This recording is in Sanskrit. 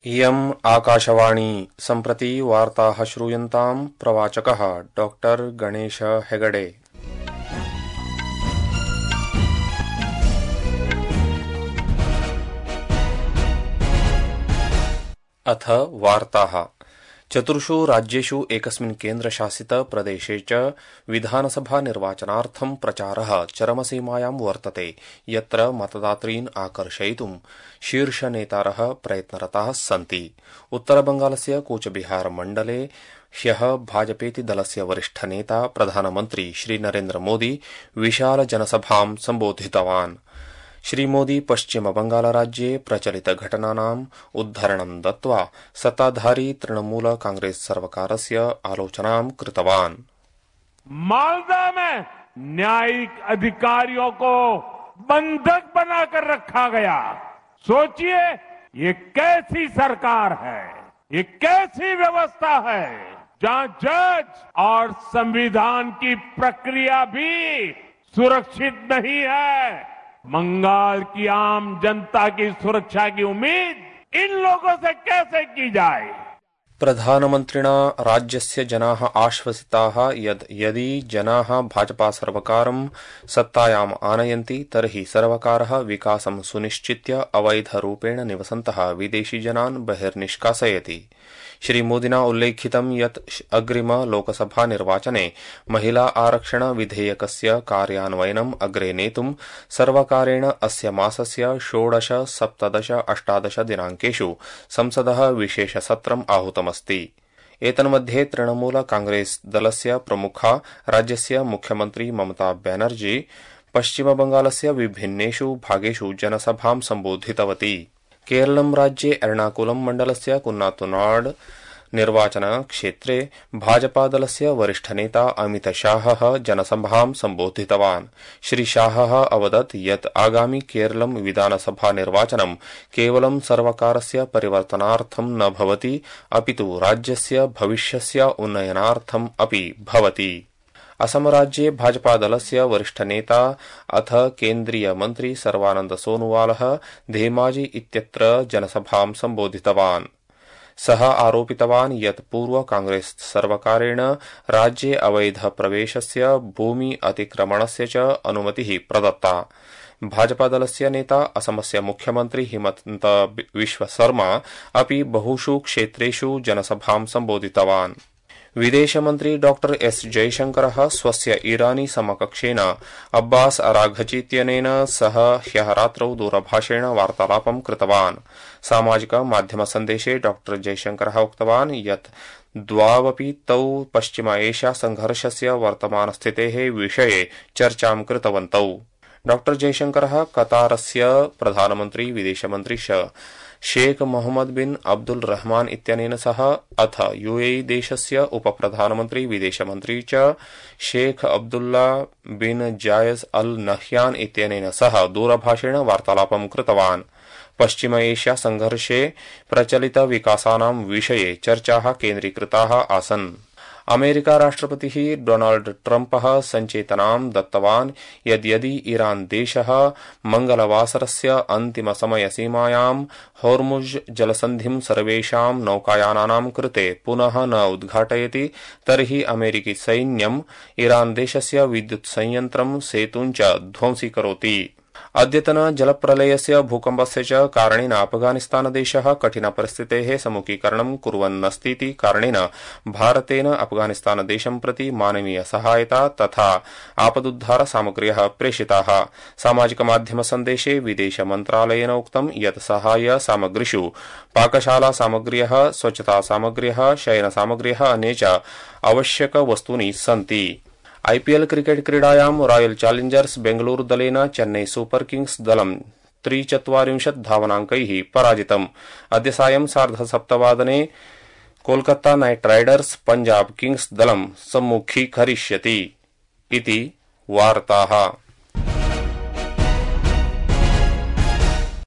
इयम् आकाशवाणी सम्प्रति वार्ताः श्रूयन्ताम् प्रवाचकः डॉक्टर गणेश हेगडे। अथ वार्ताः। चतुर्षु राज्येषु एकस्मिन् केन्द्रशासित प्रदेशे च विधानसभा निर्वाचनार्थं प्रचारः चरमसीमायां वर्तते, यत्र मतदातॄन् आकर्षयितुं शीर्षनेतारः प्रयत्नरताः सन्ति। उत्तरबंगालस्य कूचबिहार मण्डले ह्यः भाजपेति दलस्य वरिष्ठनेता प्रधानमन्त्री श्री नरेन्द्र मोदी विशाल जनसभां सम्बोधितवान्। श्रीमोदी पश्चिमबंगालराज्ये प्रचलितघटनानाम् उद्धरणं दत्त्वा सत्ताधारी तृणमूल कांग्रेस सर्वकारस्य आलोचनां कृतवान्। मालदा में न्यायिक अधिकारियों को बंधक बनाकर रखा गया। सोचिए ये कैसी सरकार है, ये कैसी व्यवस्था है जहां जज और संविधान की प्रक्रिया भी सुरक्षित नहीं है। बंगाल की आम जनता की सुरक्षा की उम्मीद इन लोगों से कैसे की जाए। प्रधानमन्त्रिणा राज्यस्य जनाः आश्वसिताः यद् यदि जनाः भाजपा सर्वकारं सत्तायाम् आनयन्ति तर्हि सर्वकारः विकासं सुनिश्चित्य अवैधरूपेण निवसन्तः विदेशीजनान् बहिर्निष्कासयति। श्रीमोदिना उल्लेखितं यत् अग्रिम लोकसभा निर्वाचने महिला आरक्षण विधेयकस्य कार्यान्वयनम् अग्रे नेतुं सर्वकारेण अस्य मासस्य 16, 17, 18 दिनाङ्केषु संसदः विशेषसत्रम् आहूतमस्ति। एतन्मध्ये तृणमूल कांग्रेस दलस्य प्रमुखा राज्यस्य मुख्यमन्त्री ममता बेनर्जी पश्चिमबंगालस्य विभिन्नेषु भागेषु जनसभां सम्बोधितवती। केरलं राज्ये एर्णाकुलं मण्डलस्य कुन्नातुनाड निर्वाचनक्षेत्रे भाजपादलस्य वरिष्ठनेता अमितशाहः जनसभां सम्बोधितवान्। श्रीशाहः अवदत् यत् आगामि केरलं विधानसभा निर्वाचनं केवलं सर्वकारस्य परिवर्तनार्थं न भवति, अपितु राज्यस्य भविष्यस्य उन्नयनार्थम् अपि भवति। असमराज्ये भाजपादलस्य वरिष्ठनेता अथ केन्द्रीय मन्त्री सर्वानन्द सोनोवालः धेमाजी इत्यत्र जनसभां सम्बोधितवान्। सः आरोपितवान् यत् पूर्व कांग्रेस सर्वकारेण राज्ये अवैध प्रवेशस्य, भूमि अतिक्रमणस्य च अनुमतिः प्रदत्ता। भाजपादलस्य नेता असमस्य मुख्यमन्त्री हिमन्त बिश्व शर्मा अपि बहुषु क्षेत्रेषु जनसभां सम्बोधितवान्। विदेशमन्त्री डॉक्टर एस जयशंकरः स्वस्य ईरानी समकक्षेण अब्बास अराघची इत्यनेन सह ह्यः रात्रौ दूरभाषेण वार्तालापं कृतवान्। सामाजिक माध्यम सन्देशे डॉक्टर जयशंकरः उक्तवान् यत् द्वावपि तौ पश्चिम एशिया संघर्षस्य वर्तमानस्थितेः विषये चर्चां कृतवन्तौ। डॉक्टर जयशंकरः कतारस्य प्रधानमन्त्री विदेशमन्त्री शेख मोहम्मद बिन अब्दुल रहमान इत्यनेन सह अथ यूएई देशस्य उपप्रधानमन्त्री विदेशमन्त्री च शेख अब्दुल्ला बिन जायज अल नह्यान इत्यनेन सह दूरभाषेण वार्तालापं कृतवान्। पश्चिम एशिया संघर्षे प्रचलित विकासानां विषये चर्चाः केन्द्रीकृताः आसन्। अमेरिका राष्ट्रपतिः डोनाल्ड ट्रम्पः सञ्चेतनां दत्तवान् यद् यदि ईरान देशः मंगलवासरस्य अन्तिमसमयसीमायां होर्मुज़ जलसन्धिं सर्वेषां नौकायानानां कृते पुनः न उद्घाटयति तर्हि अमेरिकी सैन्यम् ईरान देशस्य विद्युत् संयन्त्रं सेतुं च ध्वंसीकरोति। अद्यतन जलप्रलयस्य भूकम्पस्य च कारणेन अफगानिस्तानदेशः कठिनपरिस्थितेः सम्मुखीकरणं कुर्वन्नस्तीति कारणेन भारतेन अफगानिस्तानदेशं प्रति मानवीय सहायता तथा आपदुद्धार सामग्र्यः प्रेषिताः। सामाजिकमाध्यमसन्देशे विदेशमन्त्रालयेन उक्तं यत् सहाय सामग्रीषु पाकशाला सामग्र्यः, स्वच्छता सामग्र्यः, शयनसामग्र्यः अन्ये च आवश्यकवस्तूनि सन्ति। आईपीएल क्रिकेट क्रीडायां रॉयल चैलेंजर्स बेंगलुरु दलेन चेन्नई सुपर किंग्स दलं 43 धावनाङ्कैः पराजितम्। अद्य सायं 7:30 Kolkata night Riders Punjab Kings दलं सम्मुखीकरिष्यति। इति वार्ताः।